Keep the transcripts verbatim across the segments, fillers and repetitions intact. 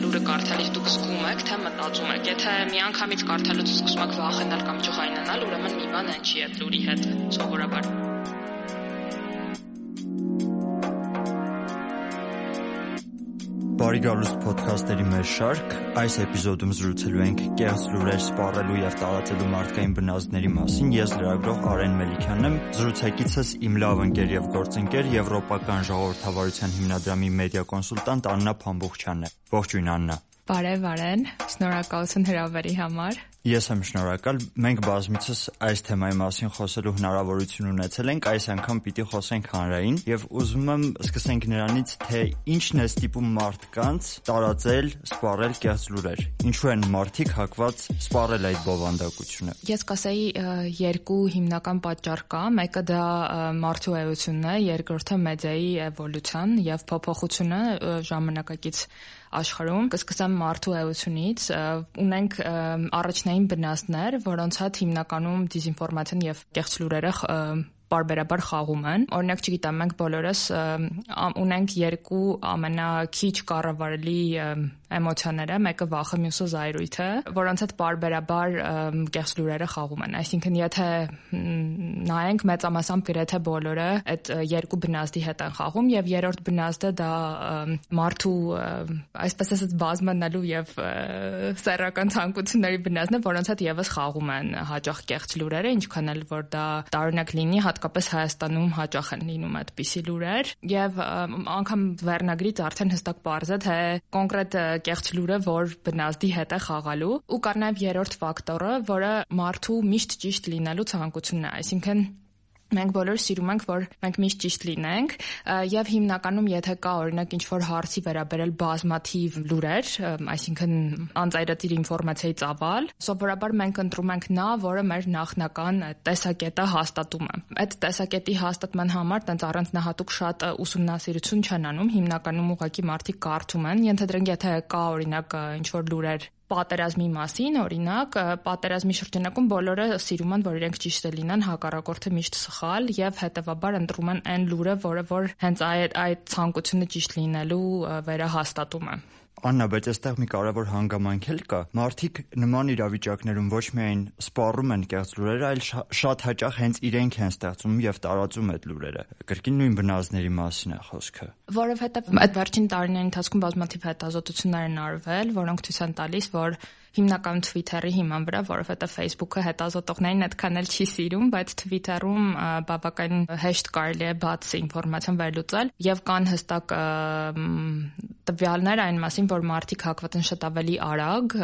լուրը կարդալիս դուք զգում եք, թե մտածում եք։ Եթե միանգամից կարդալուց սկսում եք վախենալ կամ ջղայնանալ, ուրեմն մի բան են չի այդ լուրի հետ սովորաբար։ Բարի գալուստ փոդքասթերի մեր շարք, այս էպիզոդում զրուցելու ենք կեղծ լուրեր սպառելու և տարածելու մարդկային բնազդների մասին։ Ես լրագրող Արեն Մելիքյանն եմ, զրուցակիցս իմ լավ ընկեր և գործընկեր Եվրոպական ժողովրդավարության հիմնադրամի մեդիա կոնսուլտանտ Աննա Փամբուխչյանն է։ Ողջույն Աննա։ Բարև Արեն, շնորհակալություն հրավերի համար։ Ես եմ շնորհակալ։ Մենք բազմիցս այս թեմայի մասին խոսելու հնարավորություն ունեցել ենք, այս անգամ պիտի խոսենք հանրային եւ ուզում եմ սկսենք նրանից, թե ինչն է ստիպում մարդկանց տարածել, սպառել կեղծ լուրեր։ Ինչու են մարդիկ հակված սպառել այդ բովանդակությունը։ Ես կասեի երկու հիմնական պատճառ կա, մեկը դա մարդու էությունն է, երկրորդը մեդիայի էվոլյուցիան եւ փոփոխությունը ժամանակակից աշխարհում։ Կսկսեմ մարդու էությունից, ունենք առաջնային բնազդներ, որոնց հետ հիմնականում դիզինֆորմացիան եւ կեղծ լուրերը բարբերաբար խաղում են։ Օրինակ, չգիտեմ, մենք բոլորս ունենք երկու ամենաքիչ կառավարելի էմոցիաները, մեկը վախը, մյուսը զայրույթը, որոնց հետ բարբերաբար կեղծ լուրերը խաղում են։ Այսինքն, եթե նայենք, մեծամասամբ գրեթե բոլորը այդ երկու բնազդի հետ են խաղում, եւ երրորդ բնազդը դա մարդու, այսպես ասած, բազմանալու եւ սեռական ցանկությունների բնազդն է, որոնց հետ եւս խաղում են հաճախ կեղծ լուրերը, ինչքան էլ որ դա տարօրինակ լինի, հատկապես Հայաստանում հաճախ են լինում այդպիսի լուրեր, եւ անգամ վերնագրից արդեն հստակ պարզ է, թե կոնկրետ կեղծ լուրը որ բնազդի հետ է խաղալու, ու կար նաև երրորդ ֆակտորը, որը մարդու միշտ ճիշտ լինելու ցանկությունն է, այսինքն մենք բոլորը սիրում ենք, որ մենք միշտ ճիշտ լինենք, եւ հիմնականում եթե կա օրինակ ինչ-որ հարցի վերաբերել բազմաթիվ լուրեր, այսինքն անծայրածիր ինֆորմացիայի ծավալ, սովորաբար մենք ընտրում ենք նա, որը մեր նախնական տեսակետը հաստատում է։ Այդ տեսակետի հաստատման համար տենց առանձնահատուկ շատ ուսումնասիրություն չեն անում, հիմնականում ուղղակի մարդիկ կարդում են, ենթադրենք եթե կա օրինակ ինչ-որ լուրեր պատերազմի մասին, օրինակ, պատերազմի շրջանակում բոլորը սիրում են, որ իրենք ճիշտ լինեն, հակառակորդը միշտ սխալ եւ հետեւաբար ընտրում են այն լուրը, որը որ հենց այդ այդ ցանկությունը ճիշտ լինելու վերահաստատում է։ Աննա, բայց այստեղ մի կարևոր հանգամանք էլ կա։ Մարդիկ նման իրավիճակներում ոչ միայն սպառում են կեղծ լուրերը, այլ շատ հաճախ հենց իրենք են ստեղծում եւ տարածում այդ լուրերը։ Կրկին նույն բնազդների մասին է խոսքը։ Որովհետեւ այդ վերջին տարիների ընթացքում բազմաթիվ հետազոտություններ են արվել, որոնք ցույց են տալիս, որ հիմնական Twitter-ի հիման վրա, որովհետեւ Facebook-ը հետազոտողներին այդքան էլ չի սիրում, բայց Twitter-ում բավական հեշտ կարելի է բաց ինֆորմացիան վերլուծել եւ կան հստակ տվյալներ այն մասին, որ մարդիկ հակված են շատ ավելի արագ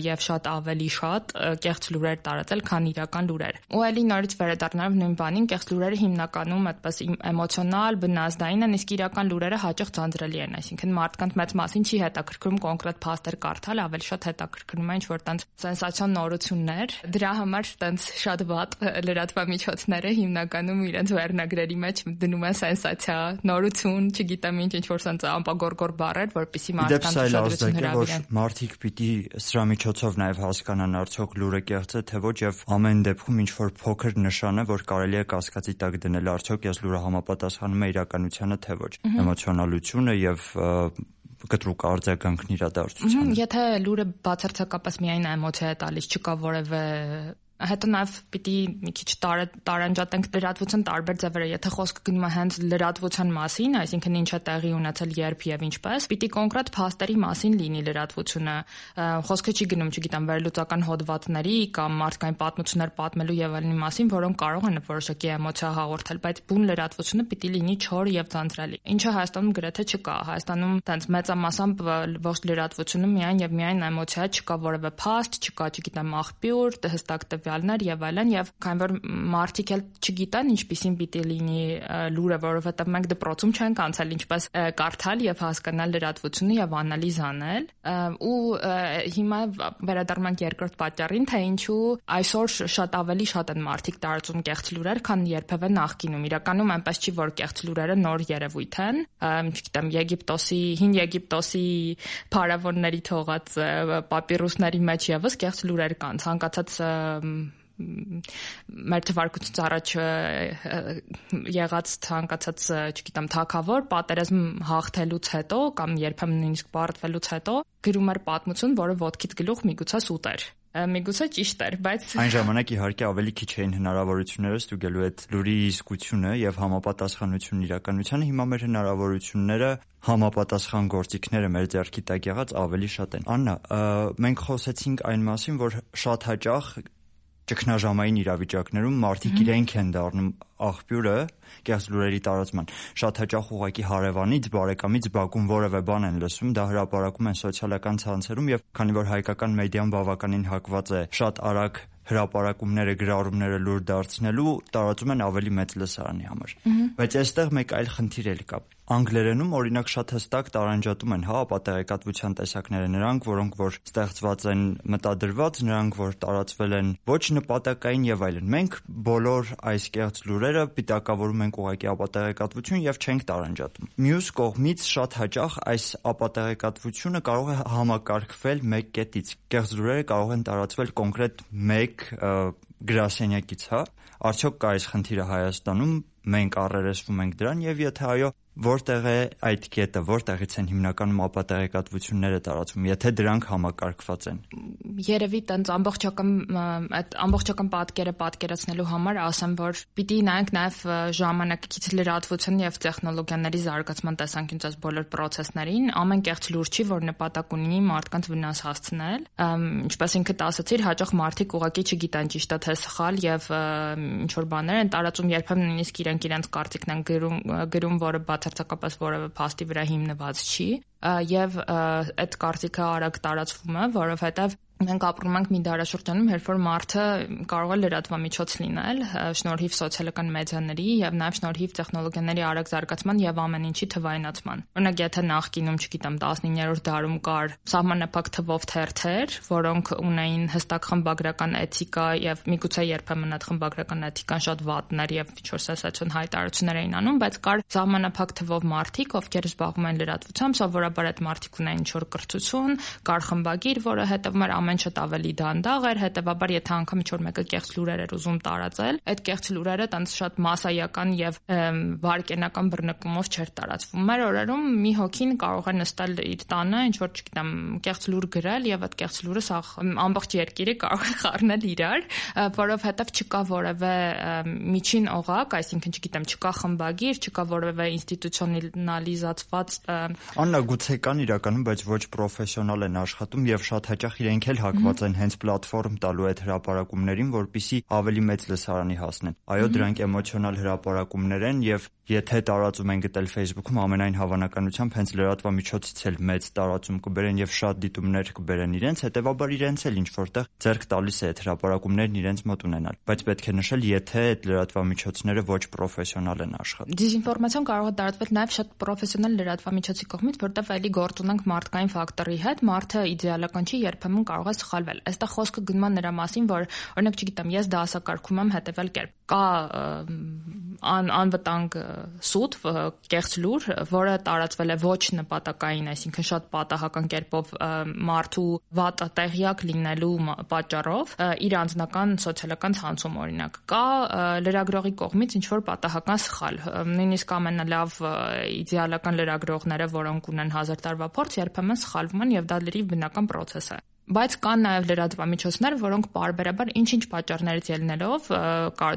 եւ շատ ավելի շատ կեղծ լուրեր տարածել, քան իրական լուրեր։ Ու ելի նորից վերադառնալով նույն բանին, կեղծ լուրերը հիմնականում այդպես էմոցիոնալ, բնազդային են, իսկ իրական լուրերը հաճախ ձանձրելի են, այսինքն մարդկանց մեծ մասին չի հետաքրքրում կոնկրետ փաստեր կարդալ, ավելի շատ հետաքրքրում է ինչ-որ տենց սենսացիոն նորություններ։ Դրա համար տենց շատ վատ լրատվամիջոցները հիմնականում իրենց վերնագրերի մեջ դնում են սենսացիա, նորություն, չգիտեմ ինչ, ինչ-որ սենց ամպագորգոր բառեր, որպեսզի մարդկանց ուշադրություն հրավիրեն։ Մարդիկ պիտի սրա միջոցով նաև հասկանան արդյոք լուրը կեղծ է թե ոչ, եւ ամեն դեպքում ինչ որ փոքր նշան է, որ կարելի է կասկածի տակ դնել արդյոք այս լուրը համապատասխանում է իրականությանը թե ոչ։ Էմոցիոնալությունը եւ կտրուկ արձագանքն իրադարձությանը։ Եթե լուրը բացարձակապես միայն էմոցիա է տալիս, չկա որևէ հետո նաև պիտի մի քիչ տարանջատենք լրատվության տարբեր ձևերը, եթե խոսքը գնում է հենց լրատվության մասին, այսինքն ինչ է տեղի ունեցել, երբ եւ ինչպես, պիտի կոնկրետ փաստերի մասին լինի լրատվությունը։ Խոսքը չի գնում, չգիտեմ, վերլուծական հոդվածների կամ մարդկային պատմություններ պատմելու եւ այլնի մասին, որոնք կարող են որոշակի էմոցիա հաղորդել, բայց բուն լրատվությունը պիտի լինի չոր եւ ձանձրալի։ Ինչը Հայաստանում գրեթե չկա։ Հայաստանում տենց մեծամասամբ ողջ լրատվությունը միայն եւ միայն էմոցիա, չկա որևէ փաստ, չկա, չգիտեմ, աղբյուր, հստակ տվյալներ եւ այլն, եւ քանի որ մարդիկ էլ չգիտեն ինչպիսին պիտի լինի լուրը, որովհետեւ մենք դպրոցում չենք անցել ինչպես կարդալ եւ հասկանալ լրատվությունը եւ անալիզ անել, ու հիմա վերադառնանք երկրորդ պատճառին, թե ինչու այսօր շատ ավելի շատ են մարդիկ տարածում կեղծ լուրեր, քան երբևէ նախկինում։ Իրականում այնպես չի, որ կեղծ լուրերը նոր երևույթ են, չգիտեմ, Եգիպտոսի, հին Եգիպտոսի փարավոնների թողած պապիրուսների մեջ եւս կեղծ լուրեր կան, ցանկացած մեր թվարկությունից առաջ եղած ցանկացած, չգիտեմ, թագավոր պատերազմ հաղթելուց հետո կամ երբեմն նույնիսկ պարտվելուց հետո գրում էր պատմություն, որը ոտքիդ գլուխ միգուցե սուտ էր։ Միգուցե ճիշտ էր, բայց այն ժամանակ իհարկե ավելի քիչ էին հնարավորությունները ստուգելու այդ լուրի իսկությունը եւ համապատասխանությունն իրականությանը։ Հիմա մեր հնարավորությունները համապատասխան գործիքները մեր ձեռքի տակ եղած ավելի շատ են։ Աննա, մենք խոսեցինք այն մասին, որ շատ հաճախ ճգնաժամային իրավիճակներում մարդիկ իրենք են դառնում աղբյուրը կեղծ լուրերի տարածման։ Շատ հաճախ ուղղակի հարևանից, բարեկամից բակում որևէ բան են լսում, դա հրապարակում են սոցիալական ցանցերում եւ քանի որ հայկական մեդիան բավականին հակված է շատ արագ հրապարակումները, գրառումները լուր դարձնելու, տարածում են ավելի մեծ լսարանի համար։ Բայց այստեղ մեկ այլ խնդիր էլ կա։ Անգլերենում օրինակ շատ հստակ տարանջատում են հա ապատեղեկատվության տեսակները, նրանք, որոնք որ ստեղծված են մտադրված, նրանք, որ տարածվել են ոչ նպատակային եւ այլն։ Մենք բոլոր այս կեղծ լուրերը պիտակավորում ենք ուղղակի ապատեղեկատվություն եւ չենք տարանջատում։ Մյուս կողմից շատ հաճախ այս ապատեղեկատվությունը կարող է համակարգվել մեկ կետից։ Կեղծ լուրերը կարող են տարածվել կոնկրետ մեկ գրասենյակից, հա։ Արդյոք կա այս խնդիրը Հայաստանում, մենք առերեսվում ենք դրան եւ եթե այո, որտեղ է այդ կետը, որտեղից են հիմնականում ապատեղեկատվությունները տարածվում, եթե դրանք համակարգված են։ Երևի տենց ամբողջական այդ ամբողջական պատկերը պատկերացնելու համար ասեմ, որ պիտի նայենք նաեւ ժամանակակից լրատվության եւ տեխնոլոգիաների զարգացման տեսանկյունից այս բոլոր process-ներին, ամեն կեղծ լուր չի, որ նպատակ ունի մարդկանց վնաս հասցնել, ինչպես ինքդ ասացիր, հաճախ մարդիկ ուղղակի չգիտեն ճիշտ է թե սխալ եւ ինչ որ բաներ են տարածում, երբեմն նույնիսկ իրենք իրենց կարծիքն են գրում, գրում, որը բացարձակապես որևէ փաստի վրա հիմնված չի եւ այդ կարծիքը արագ տարածվում է, որովհետեւ մենք ապրում ենք մի դարաշրջանում, երբ որ մարդը կարող է լրատվամիջոց լինել շնորհիվ սոցիալական մեդիաների եւ նաեւ շնորհիվ տեխնոլոգիաների արագ զարգացման եւ ամեն ինչի թվայնացման։ Օրինակ, եթե նախկինում, չգիտեմ, տասնիններորդ դարում կար սահմանափակ թվով թերթեր, որոնք ունեին հստակ խմբագրական էթիկա եւ միգուցե երբեմն այդ խմբագրական էթիկան շատ վատներ եւ ինչ-որ սենսացիոն հայտարարություններ էին անում, բայց կար սահմանափակ թվով մարդիկ, ովքեր զբաղվում են լրատվությամբ, սովորաբար այդ մարդիկ ունեին ինչ-որ կրթություն, կար խմբագիր, որը հետևում էր ամեն շատ ավելի դանդաղ էր, հետևաբար եթե անգամ ինչ-որ մեկը կեղծ լուրեր էր ուզում տարածել, այդ կեղծ լուրերը տենց շատ մասսայական եւ վարկենական բռնկումով չէր տարածվում։ Մեր օրերում մի հոգին կարող է նստել իր տանը, ինչ-որ, չգիտեմ, կեղծ լուր գրել եւ այդ կեղծ լուրը սա ամբողջ երկիրը կարող է խառնել իրար, որովհետեւ չկա որևէ միջին օղակ, այսինքն, չգիտեմ, չկա խմբագիր, չկա որևէ ինստիտուցիոնալիզացված Աննա, գուցե կան իրականում, բայց ոչ պրոֆեսիոնալ են աշխատում եւ շատ հաճախ իրենք էլ հակված են հենց պլատֆորմ տալու այդ հրապարակումներին, որպեսզի ավելի մեծ լսարանի հասնեն։ Այո, դրանք էմոցիոնալ հրապարակումներ են եւ եթե տարածում են գտել Facebook-ում, ամենայն հավանականությամբ հենց լրատվամիջոցից էլ մեծ տարածում կբերեն եւ շատ դիտումներ կբերեն իրենց, հետեւաբար իրենց էլ ինչ որտեղ ձեռք տալիս է այդ հրապարակումներն իրենց մոտ ունենալ։ Բայց պետք է նշել, եթե այդ լրատվամիջոցները ոչ պրոֆեսիոնալ են աշխատում։ Դիզինֆորմացիան կարող է տարածվել նաեւ շատ պրոֆեսիոնալ լրատվամիջոցի կողմից, որտեղ էլի գործ ունենք մարդկային ֆակտորի հետ, մարդը իդեալական չի, երբեմն կարող է սխալվել։ Այստեղ խոսքը գնում է նրա մասին, որ օրինակ, չգիտեմ, ես դասակարգում եմ հետևել կերպ։ Կա ան, անվտանգ սուտ, կեղծ լուր, որը տարածվել է ոչ նպատակային, այսինքն շատ պատահական կերպով մարդու վատ տեղյակ լինելու պատճառով իր անձնական սոցիալական ցանցում օրինակ։ Կա լրագրողի կողմից ինչ որ պատահական սխալ։ Նույնիսկ ամենալավ իդեալական լրագրողները, որոնք ունեն հազար տարվա փորձ, երբեմն սխալվում են եւ դա լրիվ բնական process է։ Բայց կան նաև լրատվամիջոցներ, որոնք պարբերաբար ինչ-ինչ պատճառներից ելնելով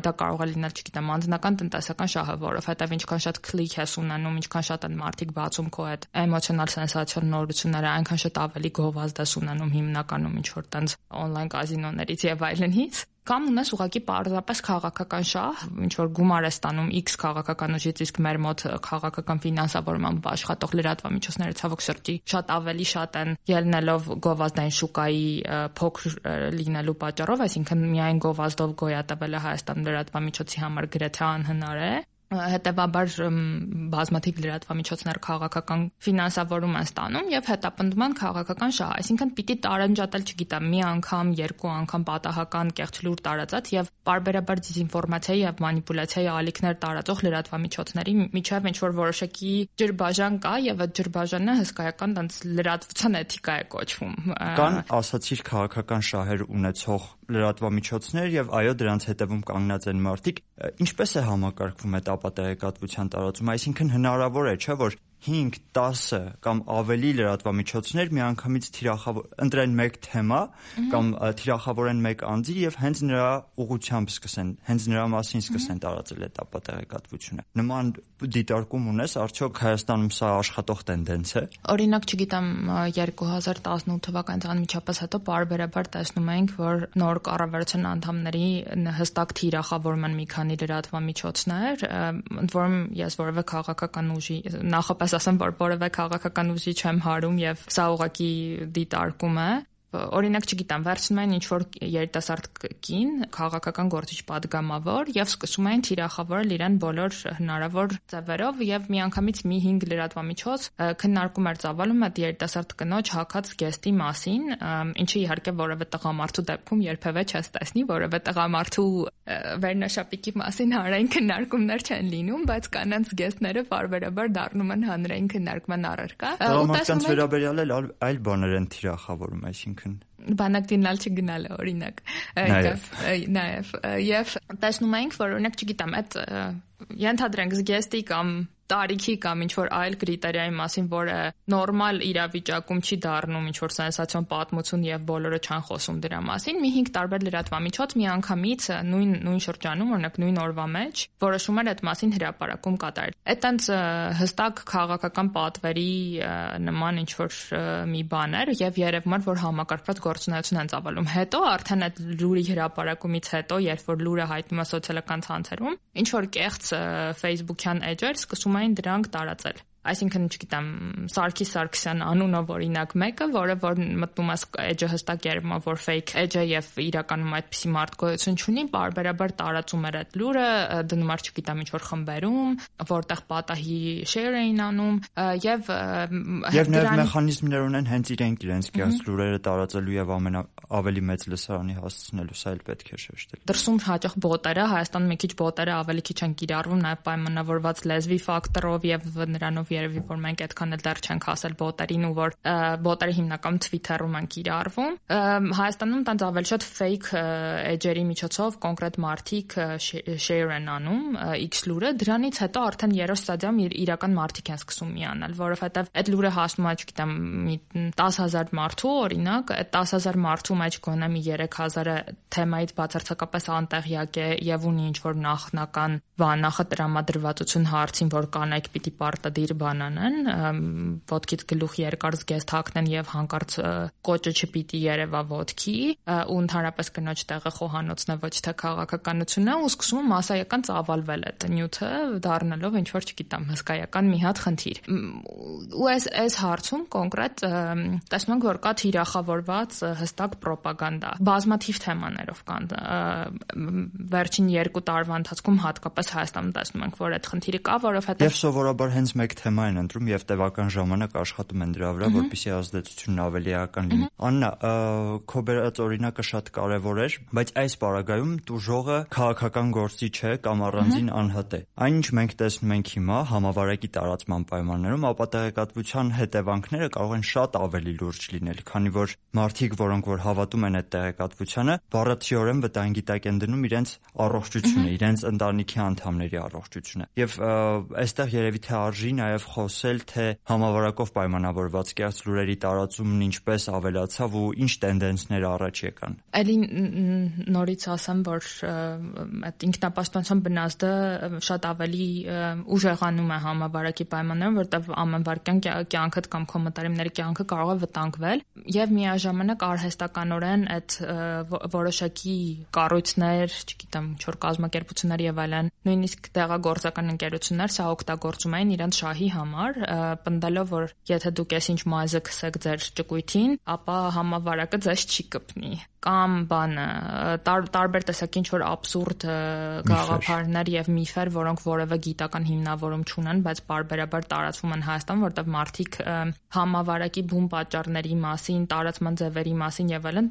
դա կարող է լինել, չգիտեմ, անձնական տնտեսական շահը, որովհետև ինչքան շատ քլիկ ես ունենում, ինչքան շատ են մարդիկ բացում քո այդ էմոցիոնալ սենսացիոն նորությունները, այնքան շատ ավելի գովազդ ես ունենում հիմնականում ինչ-որ տենց on-line կազինոներից եւ այլնից։ Կամ ունես ուղղակի պարզապես քաղաքական շահ, ինչ որ գումար է ստանում X քաղաքական ուժից, իսկ մեր մոտ քաղաքական ֆինանսավորմամբ աշխատող լրատվամիջոցները ցավոք սրտի շատ ավելի շատ են ելնելով գովազդային շուկայի փոքր լինելու պատճառով, այսինքն միայն գովազդով գոյատևելը Հայաստան լրատվամիջոցի համար գրեթե անհնար է։ Հետևաբար բազմաթիվ լրատվամիջոցներ քաղաքական ֆինանսավորում են ստանում եւ հետապնդում են քաղաքական շահ, այսինքն պիտի տարանջատել, չգիտեմ, մի անգամ, երկու անգամ պատահական կեղծ լուր տարածած եւ պարբերաբար դիզինֆորմացիայի եւ մանիպուլյացիայի ալիքներ տարածող լրատվամիջոցների միջև ինչ որ որոշակի ջրբաժան կա եւ այդ ջրբաժանը հսկայական տենց լրատվության էթիկա է կոչվում։ Կան, ասացիր, քաղաքական շահեր ունեցող լրատվամիջոցներ եւ այո դրանց հետևում կանգնած են մարդիկ, ինչպես է համակարգվում այդ ապատեղեկատվության տարածումը, այսինքն հնարավոր է, չէ՞ որ հինգ տասը կամ ավելի լրատվամիջոցներ միանգամից թիրախավոր ընտրեն մեկ թեմա կամ թիրախավորեն մեկ անձի եւ հենց նրա ուղղությամբ սկսեն, հենց նրա մասին սկսեն տարածել այդ ապատեղեկատվությունը։ Նման դիտարկում ունես, արդյոք Հայաստանում սա աշխատող տենդենց է։ Օրինակ, չգիտեմ, երկու հազար տասնութ թվականից անմիջապես հետո բարբերաբար տեսնում ենք, որ նոր կառավարության անդամների հստակ թիրախավորում են մի քանի լրատվամիջոցներ, ընդ որում ես որևէ քաղաքական ուժի նախապես ասեմ, որ որևէ քաղաքական ուժի չեմ հարում եւ սա ուղղակի դիտարկում է։ Օրինակ, չգիտեմ, վերցնում են ինչ-որ երիտասարդ կին, քաղաքական գործիչ падգամավոր եւ սկսում են թիրախավորել իրեն բոլոր հնարավոր ձևերով եւ միանգամից մի հինգ լրատվամիջոց քննարկում էր ծավալում այդ երիտասարդ կնոջ հակած գեստի մասին, ինչը իհարկե որևէ տղամարդու դեպքում երբևէ չես տեսնի, որևէ տղամարդու վերնաշապիկի մասին հանրային քննարկումներ չեն լինում, բայց կանանց գեստները բարբերաբար դառնում են հանրային քննարկման առարկա։ Տղամարդկանց վերաբերյալ էլ այլ բաներ են թիրախավորում, այսինքն բանակ դինալ չգնալը օրինակ նաև նաև եւ տեսնում ենք որ օրինակ չգիտեմ այդ ենթադրենք զգեստի կամ տարիքի կամ ինչ-որ այլ կրիտերիայի մասին, որը նորմալ իրավիճակում չի դառնում ինչ-որ սենսացիոն պատմություն եւ բոլորը չեն խոսում դրա մասին, մի հինգ տարբեր լրատվամիջոց միանգամից նույն նույն շրջանում, օրինակ նույն օրվա մեջ որոշում էր այդ մասին հրապարակում կատարել։ Այդ այնց հստակ քաղաքական պատվերի նման ինչ-որ մի բան էր եւ երևում էր, որ համակարգված գործունեություն են ծավալում։ Հետո արդեն այդ լուրի հրապարակումից հետո, երբ որ լուրը հայտնում է սոցիալական ցանցերում, ինչ-որ կեղծ Facebook-յան էջեր սկսում այն դրանք տարածել։ Այսինքն, չգիտեմ, Սարգիս Սարգսյան անունով օրինակ մեկը, որը որ մտնում է էջը հստակ երևում է, որ fake էջ է եւ իրականում այդպիսի մարդ գոյություն չունի, բարբերաբար տարածում էր այդ լուրը, դնում էր, չգիտեմ, ինչ-որ խմբերում, որտեղ պատահի share էին անում եւ եւ նաեւ մեխանիզմներ ունեն հենց իրենք իրենց կեղծ լուրերը տարածելու եւ ամենա ավելի մեծ լսարանի հասցնելու, սա էլ պետք է շեշտել։ Դրսում հաճախ բոտերը, Հայաստանում մի քիչ բոտերը ավելի քիչ են կիրառվում, նաեւ պայմանավորված լեզվի ֆակտորով եւ նրանով երևի որ մենք այդքան էլ դեռ չենք հասել բոտերին ու որ բոտերը հիմնականում Twitter-ում են կիրառվում։ Հայաստանում տենց ավելի շատ fake էջերի միջոցով կոնկրետ մարդիկ share են անում X լուրը, դրանից հետո արդեն երրորդ ստադիայում իրական մարդիկ են սկսում միանալ, որովհետեւ այդ լուրը հասնում է, չգիտեմ, մի տասը հազար մարդու, օրինակ, այդ տասը հազար մարդու մեջ գոնե մի երեք հազարը թեմայից բացարձակապես անտեղյակ է եւ ունի ինչ-որ նախնական նախատրամադրվածություն հարցին, որ կանայք պիտի պարտադիր բան անեն, ոտքից գլուխ երկար զգեստ հագնեն եւ հանկարծ կոճը չպիտի երևա ոտքի, ու ընդհանրապես կնոջ տեղը խոհանոցն է, ոչ թե քաղաքականությունն է, ու սկսում է մասսայական ծավալվել այդ նյութը, դառնալով ինչ որ չգիտեմ, հսկայական մի հատ խնդիր։ Ու այս այս հարցում կոնկրետ տեսնում ենք, որ կա թիրախավորված հստակ պրոպագանդա, բազմաթիվ թեմաներով կան։ Վերջին երկու տարվա ընթացքում հատկապես Հայաստանում տեսնում ենք, որ այդ խնդիրը կա, որովհետեւ եւ սովորաբար հենց մեկ թեմա են ընտրում եւ տևական ժամանակ աշխատում են դրա վրա, որպեսզի ազդեցությունն ավելի էական լինի։ Աննա, քո բերած օրինակը շատ կարեւոր էր, բայց այս պարագայում տուժողը քաղաքական գործի չէ կամ առանձին անհատ է։ Այն ինչ մենք տեսնում ենք հիմա համավարակի տարածման պայմաններում, ապատեղեկատվության հետևանքները կարող են շատ ավելի լուրջ լինել, քանի որ մարդիկ, որոնք որ հավատում են այդ տեղեկատվությանը, բառացիորեն վտանգի տակ են դնում իրենց առողջությունը, իրենց ընտանիքի անդամների առողջությունը։ Եվ այստեղ երևի թե արժի նաև խոսել, թե համավարակով պայմանավորված կեղծ լուրերի տարածումն ինչպես ավելացավ ու ինչ տենդենսներ առաջ եկան։ Էլի նորից ասեմ, որ այդ ինքնապաշտպանության բնազդը շատ ավելի ուժեղանում է համավարակի պայմաններում, որտեղ ամենվարկյան կյանքդ կամ կոմենտարիների կյանքը կարող է վտանգվել եւ միաժամանակ արհեստականորեն այդ որոշակի կառույցներ, չգիտեմ, ինչ-որ կազմակերպություններ եւ այլն, նույնիսկ տեղագործական ընկերություններ սա օգտագործում են իրենց շահի համար, պնդելով, որ եթե դուք այսինչ մազը քսեք ձեր ճկույթին, ապա համավարակը ձեզ չի կպնի։ Կամ բանը տար, տարբեր տեսակ ինչ-որ աբսուրդ գաղափարներ եւ միֆեր, որոնք որևէ գիտական հիմնավորում չունեն, բայց բարբերաբար տարածվում են Հայաստանում, որտեղ մարդիկ համավարակի բուն պատճառների մասին, տարածման ձևերի մասին եւ այլն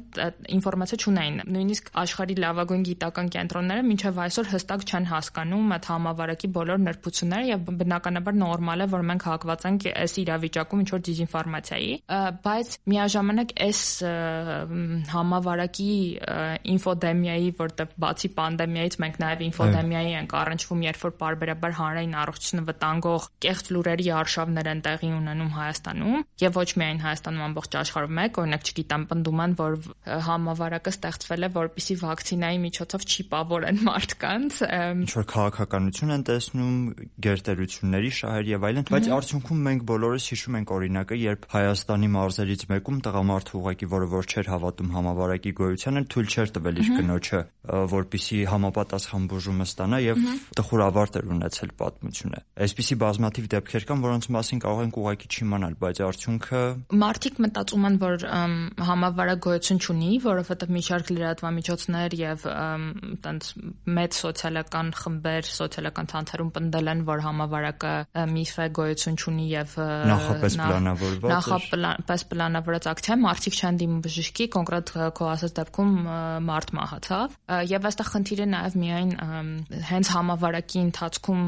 ինֆորմացիա չունեն։ Նույնիսկ աշխարհի լավագույն գիտական կենտրոնները մինչեւ այսօր հստակ չեն հասկանում այդ համավարակի բոլոր նրբությունները եւ բնականաբար նորմալ է, որ մենք հակված ենք այս իրավիճակում ինչ-որ դիզինֆորմացիայի, բայց միաժամանակ այս համավարակի որակի ինֆոդեմիայի, որտեղ բացի պանդեմիայից մենք նաև ինֆոդեմիայի ենք առնչվում, երբ որ պարբերաբար հանրային առողջությունը վտանգող կեղծ լուրերի արշավներ են տեղի ունենում Հայաստանում, եւ ոչ միայն Հայաստանում, ամբողջ աշխարհում մեկ, օրինակ չգիտեմ, պնդում են, որ համավարակը ստեղծվել է, որպեսզի վակցինայի միջոցով չիպավորեն մարդկանց, ինչ որ քաղաքականություն են տեսնում, գերտերությունների շահեր եւ այլն, բայց արդյունքում մենք բոլորս հիշում ենք օրինակը, երբ Հայաստանի մարզերից մեկում տղամարդը ուղղակի, որը որ չէր հավատում համավարակի գոյությանը, թույլ չէր տվել իր կնոջը, որպեսզի համապատասխան բուժումը ստանա եւ տխուր ավարտ էր ունեցել պատմությունը։ Այսպիսի բազմաթիվ դեպքեր կան, որոնց մասին կարող ենք ուղղակի չիմանալ, բայց արդյունքը մարդիկ մտածում են, որ համավարակ գոյություն չունի, որովհետեւ մի շարք լրատվամիջոցներ եւ տենց մեծ սոցիալական խմբեր, սոցիալական ցանցերում պնդել են, որ համավարակը միֆ է, գոյություն չունի եւ նախապես պլանավորված նախապես պլանավորած ակցիա, մարդիկ չեն դիմում բժշկի, կոնկրետ քո ասած դեպքում մարդ մահացավ եւ այստեղ խնդիրը նաեւ միայն հենց համավարակի ընթացքում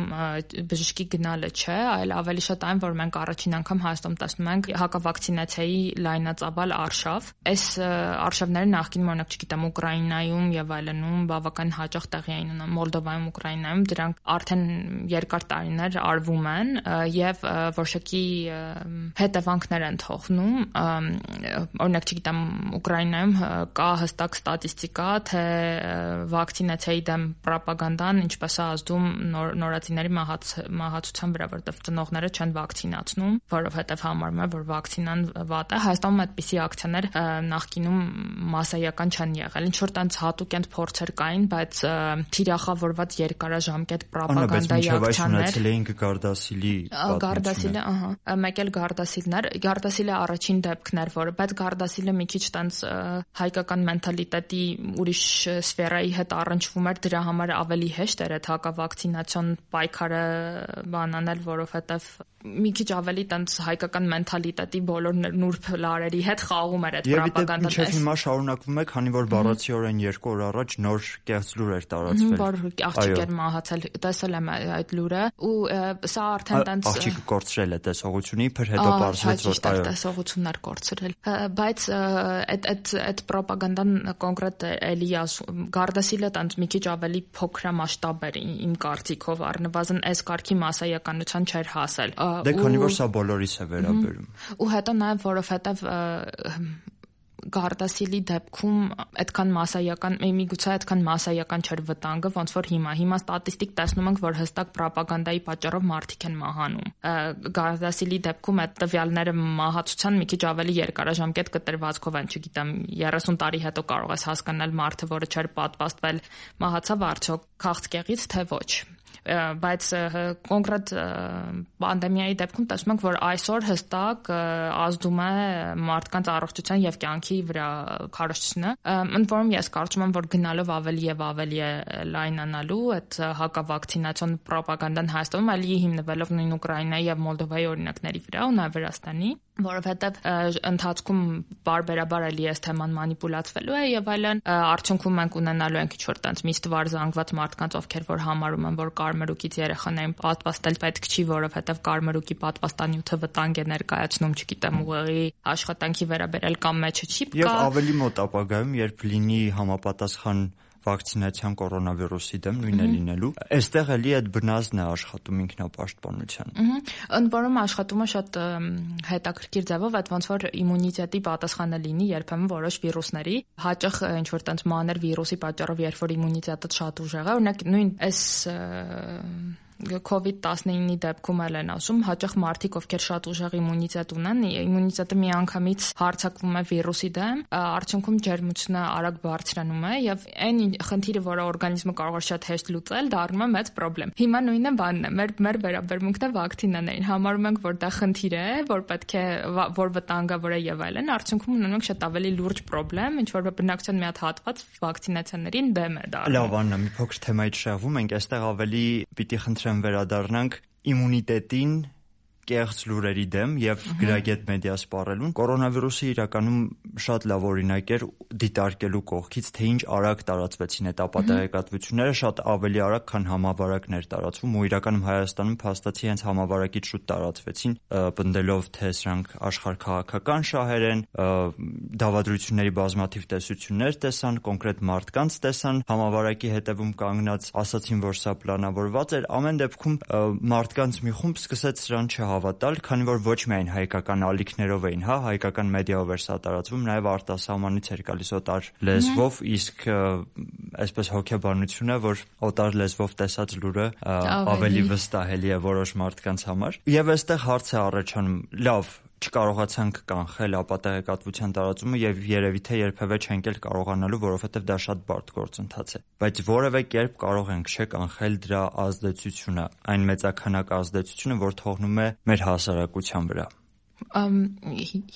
բժշկի գնալը չէ, այլ ավելի շատ այն, որ մենք առաջին անգամ Հայաստանում տեսնում ենք հակավակցինացիայի լայնածավալ արշավ։ Այս արշավները նախկինում օրինակ չգիտեմ Ուկրաինայում եւ այլնում բավական հաճախ տեղի էին ունենում, Մոլդովայում, Ուկրաինայում դրանք արդեն երկար տարիներ արվում են եւ որոշակի հետևանքներ են թողնում։ Օրինակ չգիտեմ Ուկրաինայում կա հստակ ստատիստիկա, թե վակցինացիայի դեմ ռոպագանդան ինչպես է ազդում նոր, նորածինների մահաց, մահացության վրա, որտեղ ծնողները չեն վակցինացնում, որովհետև համարում են, որ վակցինան վատ է։ Հայաստանում այդպիսի ակցիաներ նախկինում մասսայական չեն եղել։ Ինչ որ տենց հատուկ են փորձեր կային, բայց թիրախավորված երկարաժամկետ ռոպագանդայի ակցիաներ ունեցել էին Գարդասիլի Գարդասիլը, ահա, մեկ էլ Գարդասիլներ, Գարդասիլը առաջին դեպքն էր, որը, բայց Գարդասիլը մի քիչ տենց հայկական մենթալիտետի ուրիշ սֆերայի հետ առնչվում էր, դրա համար ավելի հեշտ էր այդ հակավակցինացիոն պայքարը բանանել, որովհետև մի քիչ ավելի տենց հայկական մենթալիտետի բոլոր նուրբ լարերի հետ խաղում էր այդ ռոպագանդան։ Եվ հիմա շարունակվում է, քանի որ բառացիորեն երկու օր առաջ նոր կեղծ լուր էր տարածվել։ Որ աղջիկ էր մահացել, տեսել եմ այդ լուրը, ու սա արդեն տենց աղջիկը կորցրել է տեսողությունը, իբր հետո պարզվեց, որ այո, տեսողությունն էր կորցրել։ Բայց այդ այդ այդ ռոպագանդան կոնկրետ էլի Գարդասիլը տենց մի քիչ ավելի փոքրամասշտաբ էր իմ կարծիքով, առնվազն այս կարգի մասսայականության չէր հասել։ Դե քանի որ սա բոլորիս է վերաբերում։ Ու հետո նաև որովհետև Գարդասիլի դեպքում այդքան մասսայական, միգուցե այդքան մասսայական չէր վտանգը, ոնց որ հիմա։ Հիմա ստատիստիկ տեսնում ենք, որ հստակ ռոպագանդայի պատճառով մարդիկ են մահանում։ Գարդասիլի դեպքում այդ տվյալները մահացության մի քիչ ավելի երկարաժամկետ կտրվածքով են, չգիտեմ, երեսուն տարի հետո կարող ես հասկանալ մարդը, որը չէր պատվաստվել, մահացավ արդյոք քաղցկեղից, թե ոչ։ Բայց կոնկրետ պանդեմիայի դեպքում տեսնում ենք, որ այսօր հստակ ազդում է մարդկանց առողջության եւ կյանքի վրա քարոզությունը։ Ընդ որում ես կարծում եմ, որ գնալով ավելի եւ ավելի է լայնանալու այդ հակավակցինացիոն ռոպագանդան Հայաստանում, այլ հիմնվելով նույն Ուկրաինայի եւ Մոլդովայի օրինակների վրա ու նաեւ Վրաստանի, որովհետեւ ընթացքում բարբերաբար էլի այս թեման մանիպուլացվելու է եւ այլն, արդյունքում մենք ունենալու ենք ինչ-որ տենց միստվար զանգված մարդկանց, ովքեր որ համարում են, որ կարմրուկից երեխաներին պատվաստել պետք չի, որովհետեւ կարմրուկի պատվաստանյութը վտանգ է ներկայացնում, չգիտեմ, ուղեղի աշխատանքի վերաբերել կամ մեջը չիպ կա։ Եվ ավելի մոտ ապագայում, երբ լինի համապատասխան վակցինացիան կորոնավիրուսի դեմ նույնը լինելու, այստեղ էլի այդ բնազդն է աշխատում ինքնապաշտպանության։ Ընդ որում աշխատումը շատ հետաքրքիր ձևով, այդ ոնց որ իմունիտետի պատասխանը լինի երբեմն որոշ վիրուսների, հաճախ ինչ որ տենց մանր վիրուսի պատճառով, երբ որ իմունիտետը շատ ուժեղ է, օրինակ նույն այս կովիդ տասնինի դեպքում էլ են ասում, հաճախ մարդիկ, ովքեր շատ ուժեղ իմունիտետ ունեն, իմունիտետը միանգամից հարձակվում է վիրուսի դեմ, արդյունքում ջերմությունը արագ բարձրանում է եւ այն խնդիրը, որը օրգանիզմը կարող է շատ հեշտ լուծել, դառնում է մեծ խնդրեմ։ Հիմա նույնը բանն է, մեր մեր վերաբերմունքն է վակցինաներին, համարում ենք, որ դա խնդիր է, որ պետք է որ վտանգավոր է եւ այլն, արդյունքում ունենում ենք շատ ավելի լուրջ խնդրեմ, ինչ որ բնակչության մի հատ հատված վակցինացիաներին դեմ է դառնում։ Լավ, Աննա, մի փոքր թեմայից շեղվում ենք, այստեղ ավելի պիտի խնդրեմ վերադառնանք իմունիտետին, կեղծ լուրերի դեմ եւ գրագետ մեդիա սպառելուն, կորոնավիրուսը իրականում շատ լավ օրինակ էր դիտարկելու կողքից, թե ինչ արագ տարածվեցին այդ ապատեղեկատվությունները, շատ ավելի արագ, քան համավարակներ տարածվում, ու իրականում Հայաստանում փաստացի հենց համավարակից շուտ տարածվեցին, պնդելով թե սրանք աշխարհքաղաքական շահեր են, դավադրությունների բազմաթիվ տեսություններ տեսան, կոնկրետ մարդկանց տեսան, համավարակի հետևում կանգնած ասացին, որ սա պլանավորված էր, ամեն դեպքում մարդկանց մի խումբ սկսեց սրան չհավատալ, քանի որ ոչ միայն հայկական ալիքներով էին, հա, հայկական մեդիայով էր սա տարածվում, նաև արտասահմանից էր գալիս օտար լեզվով, իսկ այսպես հոգեբանությունը, որ օտար լեզվով տեսած լուրը ավելի վստահելի է որոշ մարդկանց համար։ Եվ այստեղ հարց է առաջանում, լավ, չկարողացանք կանխել ապատեղեկատվության տարածումը եւ երևի թե երբևէ չենք էլ կարողանալու, որովհետեւ դա շատ բարդ գործընթաց է, բայց որևէ կերպ կարող ենք չէ կանխել դրա ազդեցությունը, այն մեծաքանակ ազդեցությունը, որ թողնում է մեր հասարակության վրա։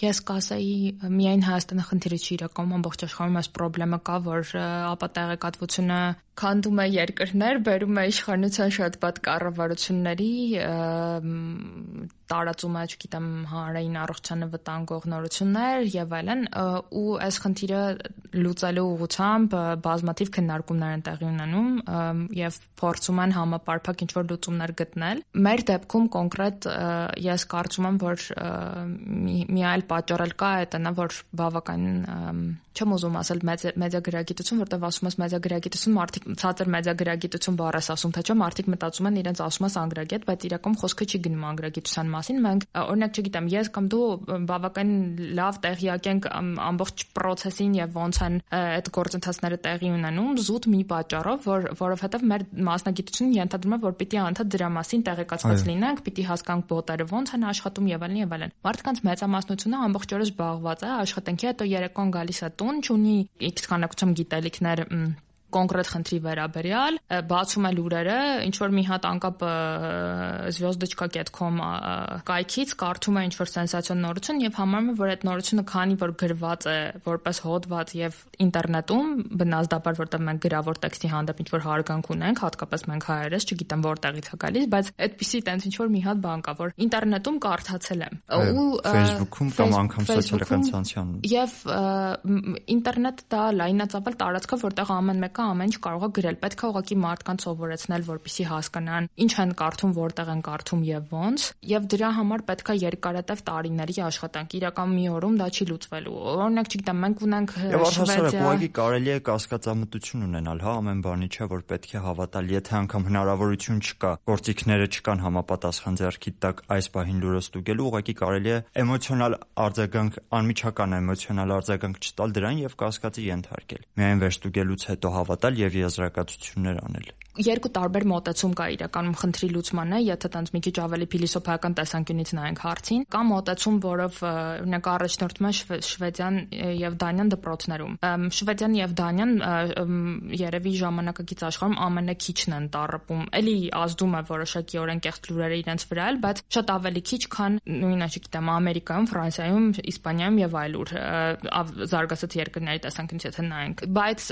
Ես կասեի միայն Հայաստանը խնդիրը չի, իրականում ամբողջ աշխարհում այս խնդրեմը կա, որ ապատեղեկատվությունը քանդում է երկրներ, բերում է իշխանության շատ բադ կառավարությունների, տարածում է, չգիտեմ, հանրային առողջությանը վտանգող նորություններ եւ այլն, ու այս խնդիրը լուծելու ուղղությամբ բազմաթիվ քննարկումներ են տեղի ունենում եւ փորձում են համապարփակ ինչ-որ լուծումներ գտնել։ Մեր դեպքում կոնկրետ ես կարծում եմ, որ մի այլ պատճառ էլ կա, այդ նա, որ բավականին չեմ ուզում ասել մեդիագրագիտություն, որտեղ ասում ես մեդիագրագիտություն, մարդիկ ցածր մեդիագրագիտություն բառը ասում, թե չէ, մարդիկ մտածում են իրենց ասում ես անգրագետ, բայց իրականում խոսքը չի գնում անգրագիտության մասին։ Մենք օրինակ, չգիտեմ, ես կամ դու բավականին լավ տեղյակ ենք ամբողջ process-ին եւ ոնց են այդ գործընթացները տեղի ունենում, զուտ մի պատճառով, որ որովհետեւ մեր մասնագիտությունը ենթադրում է, որ պիտի անդադ դրա մասին տեղեկացված լինենք, պիտի հասկանանք բոտերը ոնց են աշխատում եւ այլն եւ այլն։ Մարդկանց մեծամասնությունը ամբողջ օրը զբաղված է, աշխատանքի հետո երեկոն գալիս է տուն, չունի X քանակությամբ գիտելիքներ կոնկրետ խնդրի վերաբերյալ, բացում է լուրերը, ինչ որ մի հատ անկապ звездочка dot com կայքից կարդում է ինչ որ սենսացիոն նորություն եւ համարում է, որ այդ նորությունը քանի որ գրված է որպես հոդված եւ ինտերնետում, բնազդաբար որտեղ մենք գրավոր տեքստի հանդեպ ինչ որ հարգանք ունենք, հատկապես մենք հայերս, չգիտեմ որտեղից է գալիս, բայց այդպիսի տենց ինչ որ մի հատ բան կա, որ ինտերնետում կարդացել եմ ու Facebook-ում կամ անգամ սոցիալական ցանցում եւ ինտերնետը դա լայնածավալ տարածք է, որտեղ ամեն մեկը ամեն ինչ կարող է գրել, պետք է ուղղակի մարդկանց սովորեցնել, որպեսզի հասկանան ինչ են կարդում, որտեղ են կարդում եւ ոնց, եւ դրա համար պետք է երկարատև տարիների աշխատանք, իրական մի օրում դա չի լուծվելու։ Օրինակ, չգիտեմ, մենք ունենք Շվեդիա, ուղղակի կարելի է կասկածամտություն ունենալ, հա, ամեն բանի չէ, որ պետք է հավատալ, եթե անգամ հնարավորություն չկա, գործիքները չկան համապատասխան ձեռքի տակ այս պահին լուրը ստուգելու, ուղղակի կարելի է էմոցիոնալ արձագանք, անմիջական էմոցիոնալ արձագանք չտալ դրան եւ կասկածի ենթարկել։ Միայն վերստուգելուց հետո հավատալ եւ եզրակացություններ անել։ Երկու տարբեր մոտեցում կա իրականում խնդրի լուծմանը, եթե տենց մի քիչ ավելի փիլիսոփայական տեսանկյունից նայենք հարցին, կա մոտեցում, որով օրինակ առաջնորդում է Շվեդիան եւ Դանիան դպրոցներում։ Շվեդիան եւ Դանիան երևի ժամանակակից աշխարհում ամենաքիչն են տառապում։ Էլի ազդում է որոշակիորեն կեղծ լուրերը իրենց վրա, բայց շատ ավելի քիչ, քան նույնը, չգիտեմ, Ամերիկայում, Ֆրանսիայում, Իսպանիայում եւ այլուր զարգացած երկրների տեսանկյունից եթե նայենք։ Բայց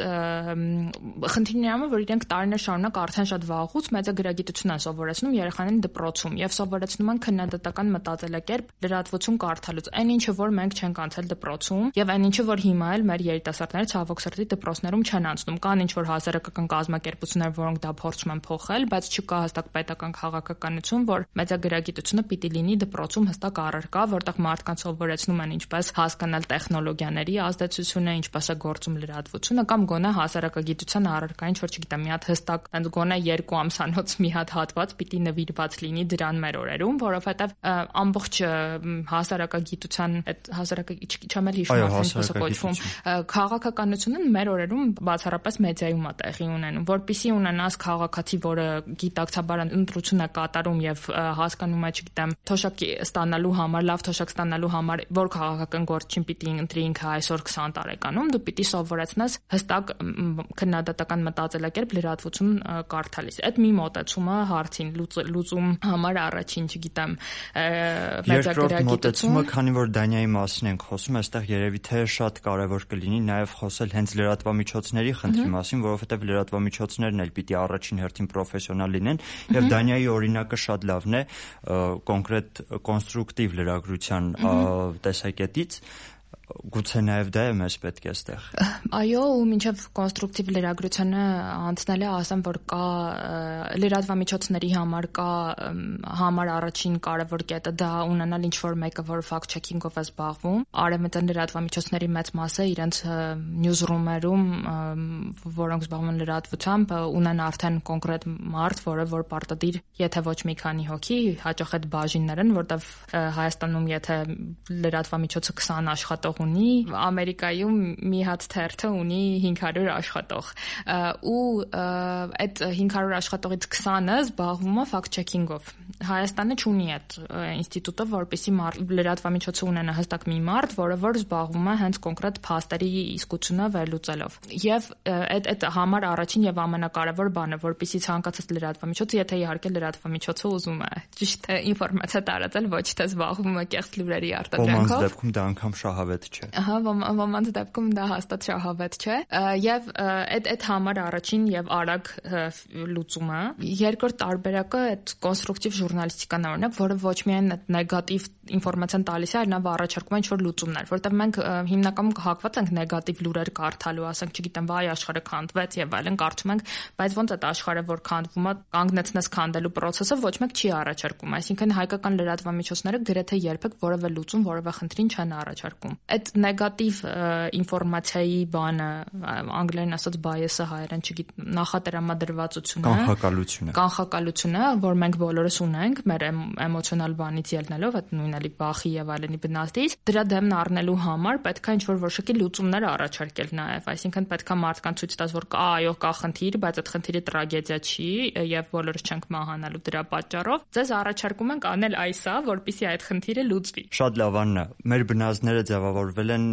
խնդիրն է, որ իրենք տարիներ շարունակ արդեն շատ վաղուց մեծագրագիտություն են սովորեցնում երեխաներին դպրոցում եւ սովորեցնում են քննադատական մտածելակերպ լրատվություն կարդալուց, այն ինչը որ մենք չենք անցել դպրոցում եւ այն ինչը որ հիմա էլ մեր երիտասարդները ցավոք սրտի դպրոցներում չեն անցնում։ Կան ինչ որ հասարակական կազմակերպություններ, որոնք դա փորձում են փոխել, բայց չկա հստակ պետական քաղաքականություն, որ մեծագրագիտությունը պիտի լինի դպրոցում հստակ առարկա, որտեղ մարդկանց սովորեցնում են ինչպես հասկանալ տեխնոլոգիաների ազդեցությունը, ինչպես է գործում լրատվությունը կամ գոնե հասարակագիտության առարկա, ինչ որ չգիտեմ, մի հատ հստակ գոնե երկու ամսանոց մի հատ հատված պիտի նվիրված լինի դրան մեր օրերում, որովհետև ամբողջ հասարակագիտության այդ հասարակաչամ էլ հիշում եմ ոնց կոչվում քաղաքականությունը մեր օրերում բացառապես մեդիայում է տեղի ունենում, որpիսի ունենաս քաղաքացի, որը գիտակցաբար ընտրություն է կատարում եւ հասկանում է, չգիտեմ, թոշակ ստանալու համար, լավ թոշակ ստանալու համար, որ քաղաքական գործին պիտի ընտրի ինքը այսօր քսան տարեկանում, դու պիտի սովորեցնես հստակ քննադատական մտածելակերպ լրատվություն կարդալիս։ Այդ մի մոտեցումը հարցին լուծում համար առաջին, չգիտեմ, մեծագրագիտություն։ Երկրորդ մոտեցումը, քանի որ Դանիայի մասին ենք խոսում, այստեղ երևի թե շատ կարևոր կլինի նաև խոսել հենց լրատվամիջոցների խնդրի մասին, որովհետև լրատվամիջոցներն էլ պիտի առաջին հերթին պրոֆեսիոնալ լինեն, եւ Դանիայի օրինակը շատ լավն է կոնկրետ կոնստրուկտիվ լրագրության տեսակետից։ Գուցե նաև դա է մեզ պետք է այստեղ։ Այո, ու մինչև կոնստրուկտիվ լրագրությանը անցնելը ասեմ, որ կա լրատվամիջոցների համար կա համար առաջին կարևոր կետը դա ունենալ ինչ-որ մեկը, որ fact checking-ով է զբաղվում։ Արևմտյան լրատվամիջոցների մեծ մասը իրենց newsroom-երում, որոնք զբաղվում են լրատվությամբ, ունեն արդեն կոնկրետ մարդ, որը որ պարտադիր, եթե ոչ մի քանի հոգի, հաճախ այդ բաժիններ են, որտեղ Հայաստանում եթե լրատվամիջոցը քսան աշխատող ունի, Ամերիկայում մի հատ թերթը ունի հինգ հարյուր աշխատող ու այդ հինգ հարյուր աշխատողից քսանը զբաղվում է fact checking-ով։ Հայաստանը չունի այդ ինստիտուտը, որպեսզի լրատվամիջոցը ունենա հստակ մի մարդ, որը որ զբաղվում է հենց կոնկրետ փաստերի իսկությունը վերլուծելով։ Եվ այդ այդ համար առաջին եւ ամենակարևոր բանը, որպեսզի ցանկացած լրատվամիջոցը, եթե իհարկե լրատվամիջոցը ուզում է ճիշտ ինֆորմացիա տարածել, ոչ թե զբաղվում է կեղծ լուրերի արտադրանքով։ Ոմանց դեպքում դա անգամ շահավետ չէ։ Ահա, ոմանց դեպքում դա հաստատ շահավետ չէ։ Եվ այդ այդ համար առաջին եւ արագ լուծումը։ Երկրորդ տարբերակը այդ կոնստրուկտիվ ժուրնալիստիկան է, օրինակ, որը ոչ միայն այդ նեգատիվ ինֆորմացիան տալիս է, այլ նա առաջարկում է ինչ-որ լուծումներ, որտեղ մենք հիմնականում հակված ենք նեգատիվ լուրեր կարդալու, ասենք, չգիտեմ, վայ աշխարհը քանդվեց եւ այլն կարդում ենք, բայց ոնց այդ աշխարհը որ քանդվում է, կանգնեցնես քանդելու process-ը ոչ մեկ չի առաջարկում, այսինքն հայկական լրատվամիջոցները գրեթե երբեք որևէ լուծում, որևէ խնդրին չեն առաջարկում։ Այդ նեգատիվ ինֆորմացիայի բանը, անգլերեն ասած bias-ը, հայերեն չգիտեմ, նախատրամադրվածությունը, կանխակալությունը, կանխակալությունը, որ մենք բոլորս ունենք, մեր էմոցիոնալ բանից ելնելով, այդ նույնալի բախի եւ այլնի բնածից, դրա դեմն առնելու համար պետք է ինչ-որ որոշակի լուծումներ առաջարկել նաեւ, այսինքն պետք է մարդկանց ցույց տալ, որ կա, այո, կա խնդիր, բայց այդ խնդիրը տրագեդիա չի եւ բոլորս չենք մահանալու դրա պատճառով։ Ձեզ առաջարկում ենք անել այսա, որպեսզի այդ խնդիրը լուծվի։ Շատ լավ, Աննա, մեր բնազդները ձևավորվել են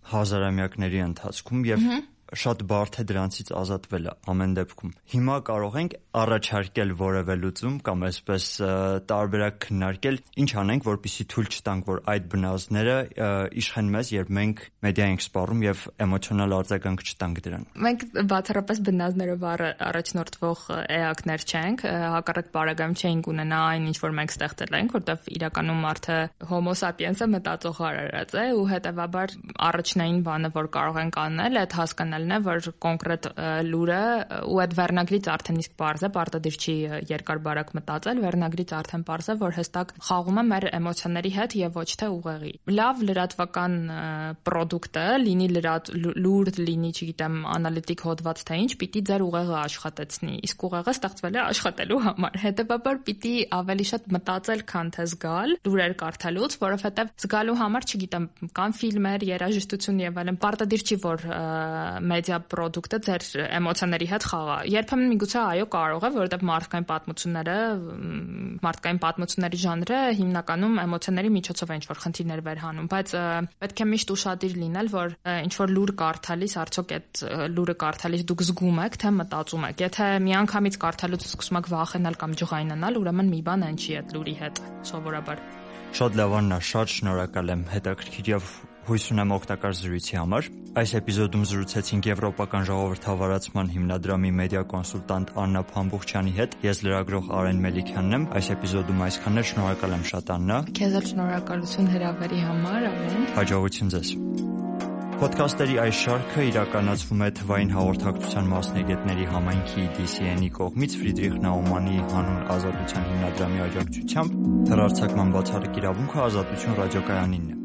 հազարամյակների ընթացքում եւ շատ բարդ է դրանցից ազատվելը ամեն դեպքում։ Հիմա կարող ենք առաջարկել որևէ լուծում կամ այսպես տարբերակ քննարկել, ինչ անենք, որպեսզի թույլ չտանք, որ այդ բնազդները իշխեն մեզ, երբ մենք մեդիա ենք սպառում եւ էմոցիոնալ արձագանք չտանք դրան։ Մենք բացառապես բնազդներով առաջնորդվող էակներ չենք, հակառակ բարագայում չենք ունենա այն, ինչ որ մենք ստեղծել ենք, որտեղ իրականում մարդը Homo sapiens-ը մտածող արարած է ու հետեւաբար առաջնային բանը, որ կարող ենք անել, այդ հասկանալ է, որ կոնկրետ լուրը ու այդ վերնագրից արդեն իսկ բարձ է, պարտադիր չի երկար բարակ մտածել, վերնագրից արդեն բարձ է, որ հստակ խաղում է մեր էմոցիաների հետ եւ ոչ թե ուղեղի։ Լավ լրատվական պրոդուկտը, լինի լուր, լինի, չգիտեմ, անալիտիկ հոդված թե ինչ, պիտի ձեր ուղեղը աշխատեցնի, իսկ ուղեղը ստեղծվել է աշխատելու համար։ Հետեւաբար պիտի ավելի շատ մտածել, քան թե զգալ լուրեր կարդալուց, որովհետեւ զգալու համար, չգիտեմ, կան ֆիլմեր, երաժշտություն եւ այլն, պարտադիր չի, որ մեդիա պրոդուկտը ձեր էմոցիաների հետ խաղա։ Երբեմն միգուցե այո կարող է, որովհետև մարդկային պատմությունները, մարդկային պատմությունների ժանրը հիմնականում էմոցիաների միջոցով է ինչ-որ խնդիրներ վերհանում, բայց պետք է միշտ ուշադիր լինել, որ ինչ-որ լուր կարդալիս, արդյոք այդ լուրը կարդալիս դուք զգում եք, թե մտածում եք։ Եթե միանգամից կարդալուց սկսում եք վախենալ կամ ջղայնանալ, ուրեմն մի բան այն չի այդ լուրի հետ, սովորաբար։ Շատ լավ, Աննա, շատ շնորհակալ եմ հետաքրքիր եւ հույս ունեմ օգտակար զրույցի համար։ Այս էպիզոդում զրուցեցինք Եվրոպական ժողովրդավարացման հիմնադրամի մեդիա կոնսուլտանտ Աննա Փամբուխչյանի հետ։ Ես լրագրող Արեն Մելիքյանն եմ։ Այս էպիզոդում այսքանն է, շնորհակալ եմ շատ, Աննա։ Քեզ էլ շնորհակալություն հրավերի համար, Արեն։ Հաջողություն ձեզ։ Պոդքասթերի այս շարքը իրականացվում է Թվային հաղորդակցության մասնագետների համայնքի դի սի են-ի կողմից Ֆրիդրիխ Նաումանի հանուն Ազատության հիմնադրամի աջակցությամբ։ Հեռարձակման բացառիկ իրավունքը Ազատություն ռադիոկայանինն է։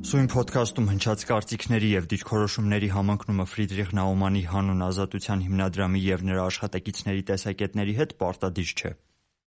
Սույն պոդքասթում հնչած կարծիքների եւ դիրքորոշումների համընկնումը Ֆրիդրիխ Նաումանի հանուն Ազատության հիմնադրամի եւ նրա աշխատակիցների տեսակետների հետ պարտադիր չէ։